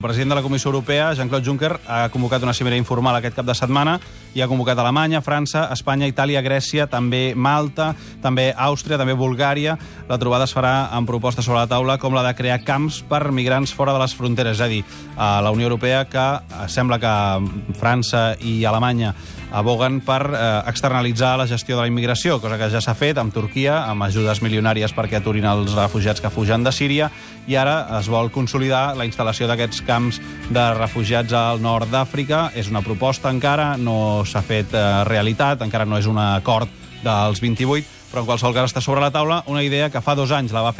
El president de la Comissió Europea, Jean-Claude Juncker, ha convocat una cimera informal aquest cap de setmana i ha convocat Alemanya, França, Espanya, Itàlia, Grècia, també Malta, també Àustria, també Bulgària. La trobada es farà amb propostes sobre la taula com la de crear camps per migrants fora de les fronteres. És a dir, a la Unió Europea, que sembla que França i Alemanya aboguen per externalitzar la gestió de la immigració, cosa que ja s'ha fet amb Turquia, amb ajudes milionàries perquè aturin els refugiats que fugen de Síria, i ara es vol consolidar la instal·lació d'aquests camps de refugiats al nord d'Àfrica. És una proposta encara, no s'ha fet realitat, encara no és un acord dels 28, però en qualsevol cas està sobre la taula una idea que fa 2 anys la va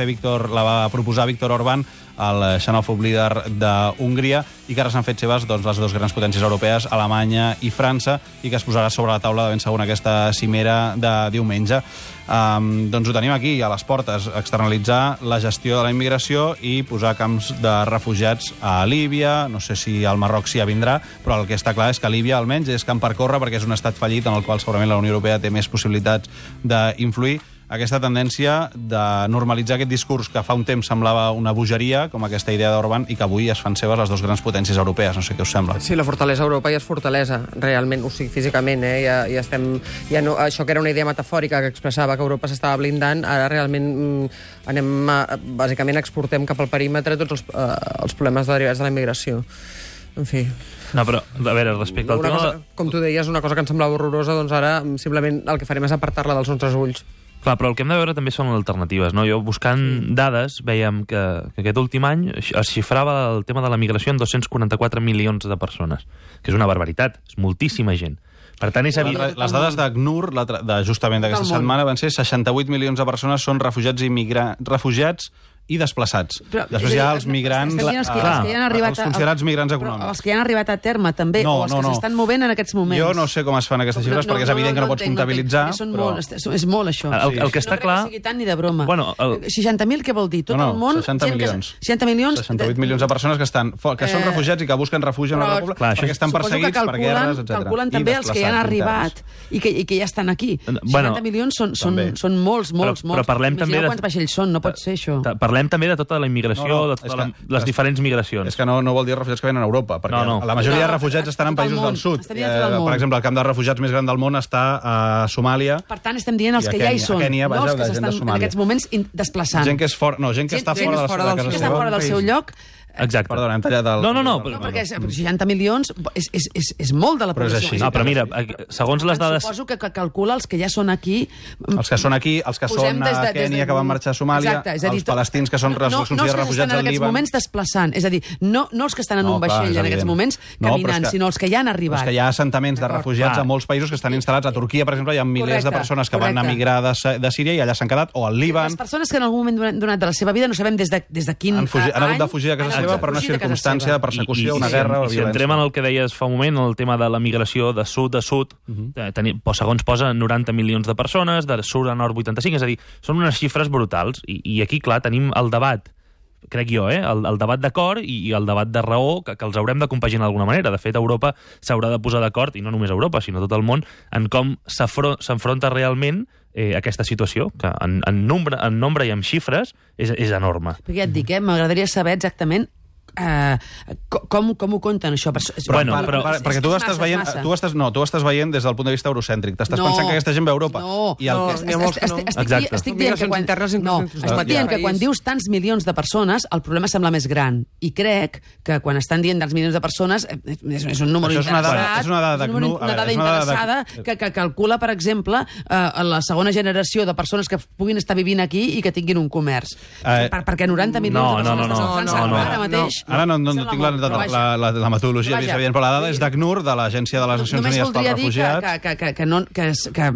proposar Viktor Orbán, el xenòfob líder d'Hongria, i que ara s'han fet seves les dues grans potències europees, Alemanya i França, i que es posarà sobre la taula de ben segur en aquesta cimera de diumenge. Doncs ho tenim aquí, a les portes, externalitzar la gestió de la immigració i posar camps de refugiats a Líbia. No sé si al Marroc s'hi vindrà, però el que està clar és que Líbia almenys és camp per córrer, perquè és un estat fallit en el qual segurament la Unió Europea té més possibilitats d'influir. Aquesta tendència de normalitzar aquest discurs que fa un temps semblava una bogeria, com aquesta idea d'Orbán, i que avui es fan seves les dues grans potències europees. No sé què us sembla. Sí, la fortalesa Europa ja és fortalesa, realment, o sigui, físicament, ja estem... Ja no, això que era una idea metafòrica que expressava que Europa s'estava blindant, ara realment bàsicament exportem cap al perímetre tots els problemes derivats de la immigració. En fi... No, però, a veure, respecte al tema... Com tu deies, una cosa que ens semblava horrorosa, doncs ara simplement el que farem és apartar-la dels nostres ulls. Clar, però el que hem de veure també són alternatives, no? Jo, buscant dades, vèiem que aquest últim any es xifrava el tema de la migració en 244 milions de persones, que és una barbaritat, és moltíssima gent. Per tant, és evident... Les dades d'ACNUR, justament d'aquesta setmana, van ser 68 milions de persones són refugiats i desplaçats. Després hi ha els migrants... Els considerats migrants econòmics. Els que ja han arribat a terme, també, o els que s'estan movent en aquests moments. Jo no sé com es fan aquestes xifres, perquè és evident que no pots comptabilitzar, però... És molt, això. El que està clar... No crec que sigui tant ni de broma. 60.000, què vol dir? Tot el món... 60 milions. 60 milions... 68 milions de persones que són refugiats i que busquen refugi en la República perquè estan perseguits per guerres, etc. Calculen també els que ja han arribat i que ja estan aquí. 60 milions són molts. Però parlem també... Imagineu quants vaixells són, no pot ser això. Parlem també de tota la immigració, de totes les diferents migracions. És que no vol dir refugiats que venen a Europa, perquè la majoria de refugiats estan en països del sud. Per exemple, el camp de refugiats més gran del món està a Somàlia. Per tant, estem dient els que ja hi són, no els que s'estan en aquests moments desplaçant. Gent que està fora del seu lloc. Exacte. Perdona, hem tallat el... No, perquè 60 milions és molt de la població. No, però mira, segons les dades... Suposo que calcula els que ja són aquí... Els que són aquí, els que són a Kènia, que van marxar a Somàlia, els palestins que són refugiats al Líban... No els que estan en aquests moments desplaçant, és a dir, no els que estan en un vaixell en aquests moments caminant, sinó els que ja han arribat. És que hi ha assentaments de refugiats a molts països que estan instal·lats. A Turquia, per exemple, hi ha milers de persones que van emigrar de Síria i allà s'han quedat, o al Líban... Les persones que en algun moment donat de la seva vida, no sabem des de quin any... Han hagut de fugir a casa seva per una circumstància de persecució, una guerra o violència. Si entrem en el que deies fa un moment, el tema de la migració de sud a sud, segons posa 90 milions de persones, de sud a nord 85, és a dir, són unes xifres brutals. I aquí, clar, tenim el debat, crec jo, el debat d'acord i el debat de raó, que els haurem de compaginar d'alguna manera. De fet, Europa s'haurà de posar d'acord, i no només Europa, sinó tot el món, en com s'enfronta realment aquesta situació, que en nombre i en xifres és enorme. Perquè ja et dic, m'agradaria saber exactament com ho compten, això? Perquè tu estàs veient des del punt de vista eurocèntric. T'estàs pensant que aquesta gent ve a Europa. Estic dient que quan dius tants milions de persones, el problema sembla més gran. I crec que quan estan dient tants milions de persones, és un número interessat. És una dada interessada que calcula, per exemple, la segona generació de persones que puguin estar vivint aquí i que tinguin un comerç. Perquè 90 milions de persones a França ara mateix... Ara no tinc la metodologia més evident, però la dada és d'ACNUR, de l'Agència de les Nacions Unides per Refugiats. Que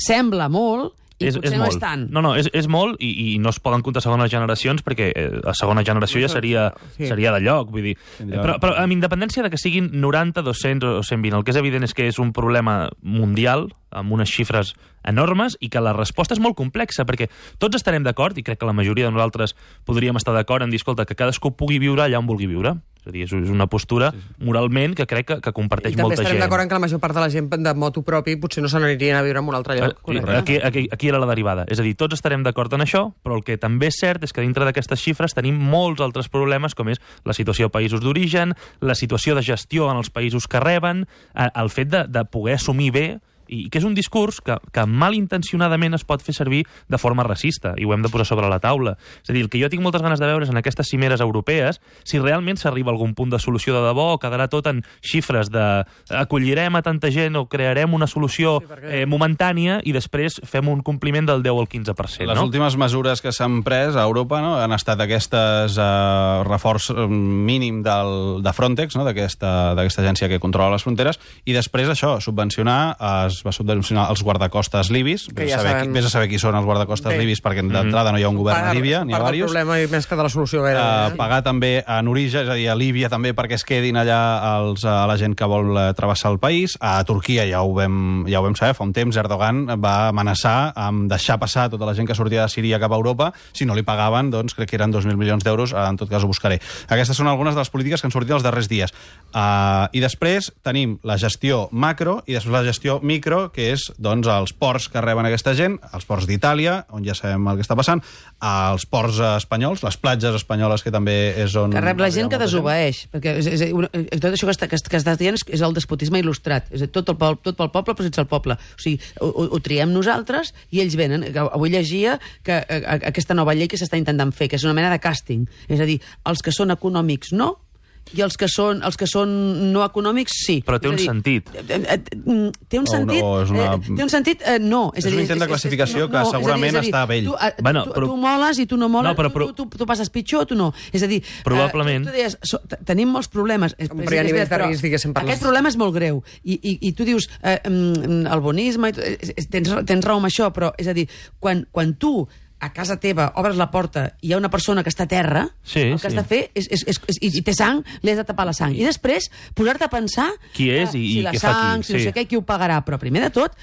sembla molt, i potser no és tant. No, és molt, i no es poden comptar segones generacions, perquè la segona generació ja seria de lloc, vull dir. Però amb independència de que siguin 90, 200 o 120, el que és evident és que és un problema mundial, amb unes xifres enormes, i que la resposta és molt complexa, perquè tots estarem d'acord, i crec que la majoria de nosaltres podríem estar d'acord en dir, escolta, que cadascú pugui viure allà on vulgui viure. És És a dir, és una postura moralment que crec que comparteix molta gent. I també estarem d'acord que la major part de la gent de moto propi potser no se n'anirien a viure en un altre lloc. Aquí era la derivada. És a dir, tots estarem d'acord en això, però el que també és cert és que dintre d'aquestes xifres tenim molts altres problemes, com és la situació a països d'origen, la situació de gestió en els països que reben, el fet de poder assumir bé, i que és un discurs que malintencionadament es pot fer servir de forma racista, i ho hem de posar sobre la taula. És a dir, el que jo tinc moltes ganes de veure és en aquestes cimeres europees si realment s'arriba a algun punt de solució de debò, o quedarà tot en xifres de acollirem a tanta gent o crearem una solució momentània i després fem un compliment del 10 al 15%. Les últimes mesures que s'han pres a Europa han estat aquestes reforç mínim de Frontex, d'aquesta agència que controla les fronteres, i després això, es va subvencionar els guardacostes libis. Vés a saber qui són els guardacostes libis, perquè d'entrada no hi ha un govern a Líbia, n'hi ha diversos. Part del problema i més que de la solució. Pagar també en origen, és a dir, a Líbia també perquè es quedin allà la gent que vol travessar el país. A Turquia ja ho vam saber, fa un temps Erdogan va amenaçar amb deixar passar tota la gent que sortia de Síria cap a Europa. Si no li pagaven, doncs crec que eren 2.000 milions d'euros, en tot cas ho buscaré. Aquestes són algunes de les polítiques que han sortit els darrers dies. I després tenim la gestió macro i després la gestió micro, que és els ports que reben aquesta gent, els ports d'Itàlia, on ja sabem el que està passant, els ports espanyols, les platges espanyoles, que també és on... Que rep la gent que desobeeix, perquè tot això que estàs dient és el despotisme il·lustrat, és tot pel poble però sense el poble. O sigui, ho triem nosaltres i ells venen. Avui llegia que aquesta nova llei que s'està intentant fer, que és una mena de càsting, és a dir, els que són econòmics no, i els que són no econòmics, sí. Però té un sentit. Té un sentit? Té un sentit? No. És un intent de classificació que segurament està vell. Tu moles i tu no moles, tu passes pitjor, tu no. És a dir, probablement. Tu deies, tenim molts problemes. Aquest problema és molt greu. I tu dius, el bonisme, tens raó amb això, però és a dir, quan tu a casa teva obres la porta i hi ha una persona que està a terra, el que has de fer i té sang, li has de tapar la sang. I després posar-te a pensar qui és i què fa qui. Si no sé què, qui ho pagarà. Però primer de tot,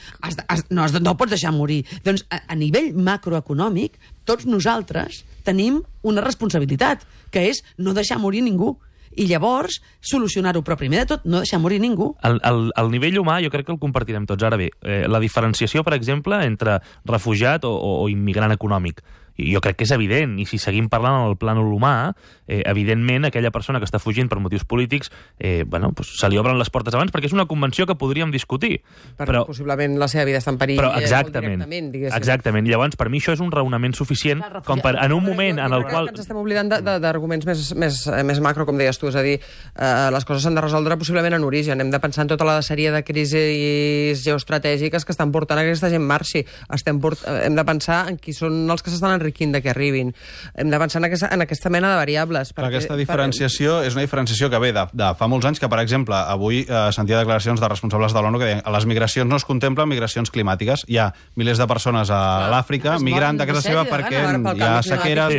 no pots deixar morir. Doncs a nivell macroeconòmic, tots nosaltres tenim una responsabilitat, que és no deixar morir ningú. I llavors solucionar-ho, però primer de tot no deixar morir ningú. El nivell humà jo crec que el compartirem tots. Ara bé, la diferenciació, per exemple, entre refugiat o immigrant econòmic, jo crec que és evident, i si seguim parlant en el plànol humà, evidentment aquella persona que està fugint per motius polítics, se li obren les portes abans, perquè és una convenció que podríem discutir. Però possiblement la seva vida està en perill. Però exactament. I llavors, per mi, això és un raonament suficient com per, en un moment en el qual... Ens estem oblidant d'arguments més macro, com deies tu, és a dir, les coses s'han de resoldre possiblement en origen. Hem de pensar en tota la sèrie de crisis geoestratègiques que estan portant a aquesta gent marxi. Hem de pensar en qui són els que s'estan enriquint de que arribin. Hem de pensar en aquesta mena de variables. Aquesta diferenciació és una diferenciació que ve de fa molts anys, que, per exemple, avui sentia declaracions de responsables de l'ONU que deien que a les migracions no es contemplen migracions climàtiques. Hi ha milers de persones a l'Àfrica migrant de casa seva perquè hi ha sequeres,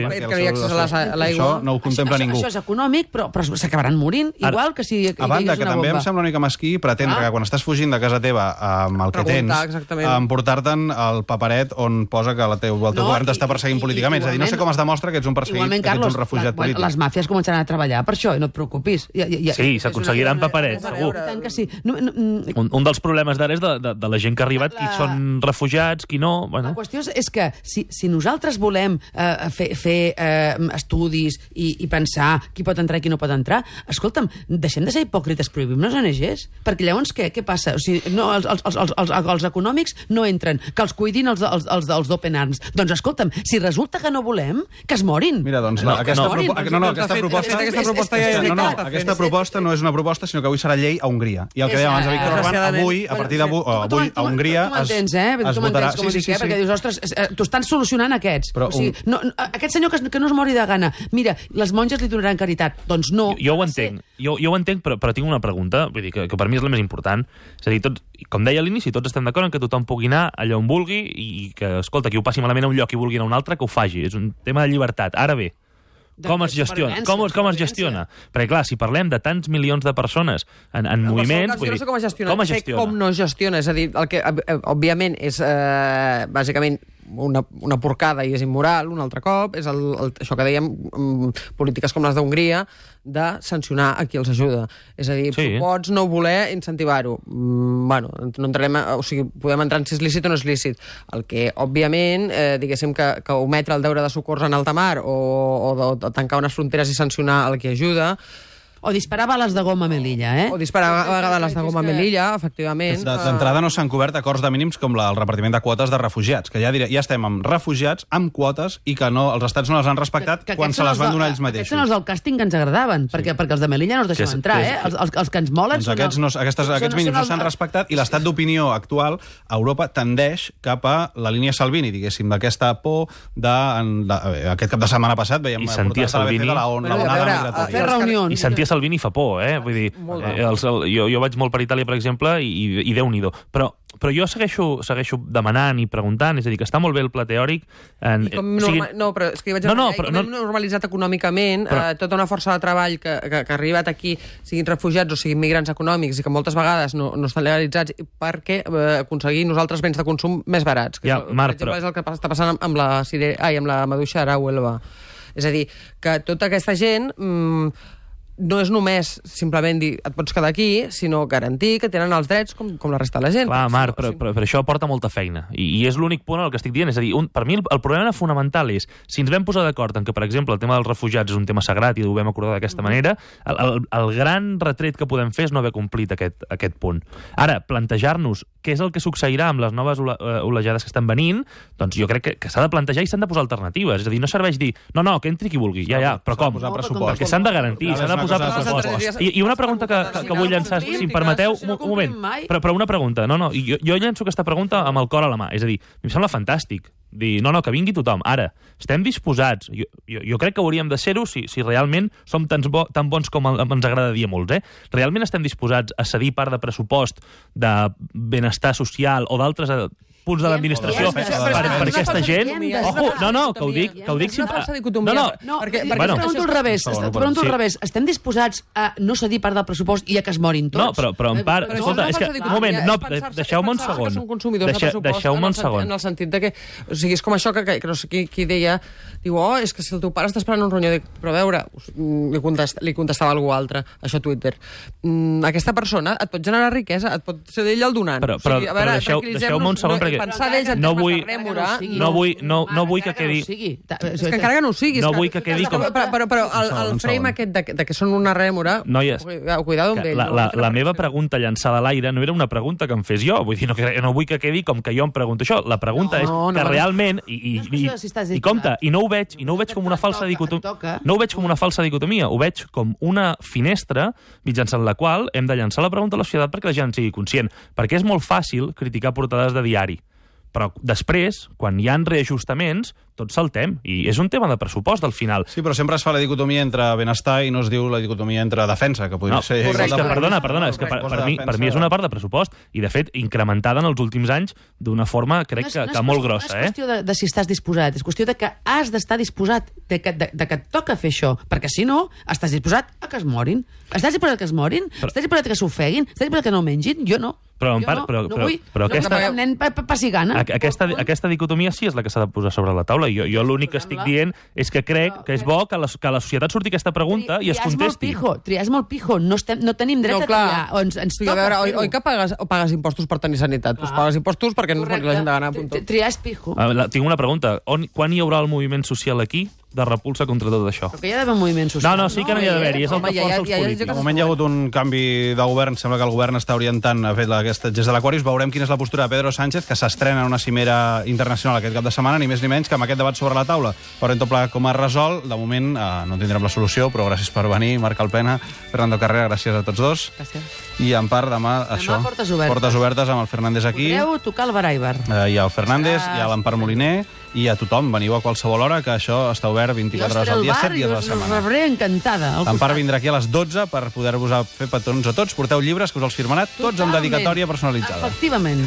això no ho contempla ningú. Això és econòmic, però s'acabaran morint, igual que si a banda, que també em sembla una mica mesquí pretendre que quan estàs fugint de casa teva amb el que tens, emportar-te'n el paperet on posa que el teu govern t'està perseguint políticament. És a dir, no sé com es demostra que ets un perseguit, que ets un refugiat polític. Les màfies començaran a treballar per això, i no et preocupis. Sí, s'aconseguiran paperets, segur. Un dels problemes d'ara és de la gent que ha arribat, qui són refugiats, qui no... La qüestió és que si nosaltres volem fer estudis i pensar qui pot entrar i qui no pot entrar, escolta'm, deixem de ser hipòcrites, prohibim les ONGs, perquè llavors què passa? O sigui, no, els econòmics no entren, que els cuidin els d'Open Arms. Doncs escolta'm, si resulta que no volem, que es morin. Mira, doncs aquesta proposta no és una proposta, sinó que avui serà llei a Hongria. I el que deia abans Víctor Orbán, avui, a partir d'avui, a Hongria es votarà... Tu m'entens, perquè dius, ostres, t'ho estan solucionant aquests. Aquest senyor que no es mori de gana. Mira, les monges li donaran caritat. Doncs no. Jo ho entenc, però tinc una pregunta, vull dir, que per mi és la més important. És a dir, com deia a l'inici, tots estem d'acord en que tothom pugui anar allà on vulgui i que, escolta, qui ho passi malament a un lloc i vulgui anar a un altre, que ho faci. És un tema de llibertat. Ara bé, com es gestiona? Perquè, clar, si parlem de tants milions de persones en moviments... Jo no sé com es gestiona. Com no gestiona. És a dir, el que, òbviament, és bàsicament una porcada i és immoral, un altre cop, és això que dèiem, polítiques com les d'Hongria, de sancionar a qui els ajuda. És a dir, tu pots no voler incentivar-ho. Bueno, no entrarem... O sigui, podem entrar en si és lícit o no és lícit. El que, òbviament, diguéssim que ometre el deure de socors en alta mar o tancar unes fronteres i sancionar el que ajuda... O disparar bales de goma a Melilla, O disparar bales de goma a Melilla, efectivament. D'entrada no s'han cobert acords de mínims com el repartiment de quotes de refugiats, que ja estem amb refugiats, amb quotes, i que els estats no les han respectat quan se les van donar ells mateixos. Aquests són els del càsting que ens agradaven, perquè els de Melilla no els deixem entrar, Els que ens molen són... Aquests mínims no s'han respectat, i l'estat d'opinió actual a Europa tendeix cap a la línia Salvini, diguéssim, d'aquesta por aquest cap de setmana passat veiem... I sentia Salvini... Fer reunions. I sentia Salvini fa por, Vull dir, jo vaig molt per Itàlia, per exemple, i Déu-n'hi-do. Però jo segueixo demanant i preguntant, és a dir, que està molt bé el pla teòric... No, però és que hi vaig hem normalitzat econòmicament tota una força de treball que ha arribat aquí, siguin refugiats o siguin migrants econòmics, i que moltes vegades no estan legalitzats perquè aconseguir nosaltres béns de consum més barats. Que és el que està passant amb la maduixa ara a Huelva. És a dir, que tota aquesta gent... no és només simplement dir et pots quedar aquí, sinó garantir que tenen els drets com la resta de la gent. Clar, Marc, però això porta molta feina. I és l'únic punt al que estic dient. És a dir, per mi el problema fonamental és, si ens vam posar d'acord en que, per exemple, el tema dels refugiats és un tema sagrat i ho vam acordar d'aquesta manera, el gran retret que podem fer és no haver complit aquest punt. Ara, plantejar-nos què és el que succeirà amb les noves olejades que estan venint, doncs jo crec que s'ha de plantejar i s'han de posar alternatives. És a dir, no serveix dir, no, que entri qui vulgui, però com? Perquè s'han de garantir, s'han de posar pressupost. I una pregunta que vull llançar, si em permeteu, un moment, però una pregunta, jo llanço aquesta pregunta amb el cor a la mà, és a dir, em sembla fantàstic dir, que vingui tothom. Ara, estem disposats, jo crec que hauríem de ser-ho si realment som tan bons com ens agrada dir a molts, realment estem disposats a cedir part de pressupost de benestar social o d'altres punts de l'administració per aquesta gent? Ojo, que ho dic... Pregunto al revés. Estem disposats a no cedir part del pressupost i a que es morin tots? No, però en part... Escolta, és que... Un moment, deixeu-me un segon. Deixeu-me un segon. En el sentit que... O sigui, és com això que no sé qui deia... Diu, és que si el teu pare està esperant un ronyó... Però a veure, li contestava algú altre, això a Twitter. Aquesta persona et pot generar riquesa, et pot ser d'ell el donant. Però deixeu-me un segon, perquè no vull que quedi... És que encara que no ho sigui. No vull que quedi com... Però el frame aquest de que són una rèmora... Noies, cuidado amb ell. La meva pregunta llançada a l'aire no era una pregunta que em fes jo. Vull dir, no vull que quedi com que jo em pregunto això. La pregunta és que realment... I compte, i no ho veig com una falsa dicotomia. No ho veig com una falsa dicotomia. Ho veig com una finestra mitjançant la qual hem de llançar la pregunta a la societat perquè la gent sigui conscient. Perquè és molt fàcil criticar portades de diari. Però després, quan hi ha reajustaments, tots saltem. I és un tema de pressupost, al final. Sí, però sempre es fa la dicotomia entre benestar i no es diu la dicotomia entre defensa, que podria ser... Perdona, és que per mi és una part de pressupost i, de fet, incrementada en els últims anys d'una forma, crec que molt grossa. No és qüestió de si estàs disposat, és qüestió de que has d'estar disposat, de que et toca fer això, perquè si no, estàs disposat a que es morin. Estàs disposat a que es morin? Estàs disposat a que s'ofeguin? Estàs disposat a que no mengin? Jo no. Però aquesta dicotomia sí és la que s'ha de posar sobre la taula. Jo l'únic que estic dient és que crec que és bo que la societat surti aquesta pregunta i es contesti. Triar és molt pijo. No tenim dret a triar. A veure, oi que pagues impostos per tenir sanitat? Tu pagues impostos perquè no es mori la gent de gana. Triar és pijo. Tinc una pregunta. Quan hi haurà el moviment social aquí de repulsa contra tot això? Però que hi ha d'haver un moviment social. No, sí que no hi ha d'haver-hi. És el que força els polítics. De moment hi ha hagut un canvi de govern. Sembla que el govern està orientant a fer aquest gest de l'Aquarius. Veurem quina és la postura de Pedro Sánchez, que s'estrena en una cimera internacional aquest cap de setmana, ni més ni menys que amb aquest debat sobre la taula. Veurem tot plegat com es resol. De moment no tindrem la solució, però gràcies per venir, Marc Alpena, Fernando Carrera, gràcies a tots dos. Gràcies. I en part demà això, portes obertes amb el Fernández aquí. Podreu tocar el Baraibar. Hi ha el Fernández, hi ha l'Empar Moliner, i a tothom, veniu a qualsevol hora, que això està obert 24 hores al dia, 7 dies a la setmana. Jo rebré encantada. L'Empar vindrà aquí a les 12 per poder-vos fer petons a tots. Porteu llibres que us els firmarà tots amb dedicatòria personalitzada. Efectivament.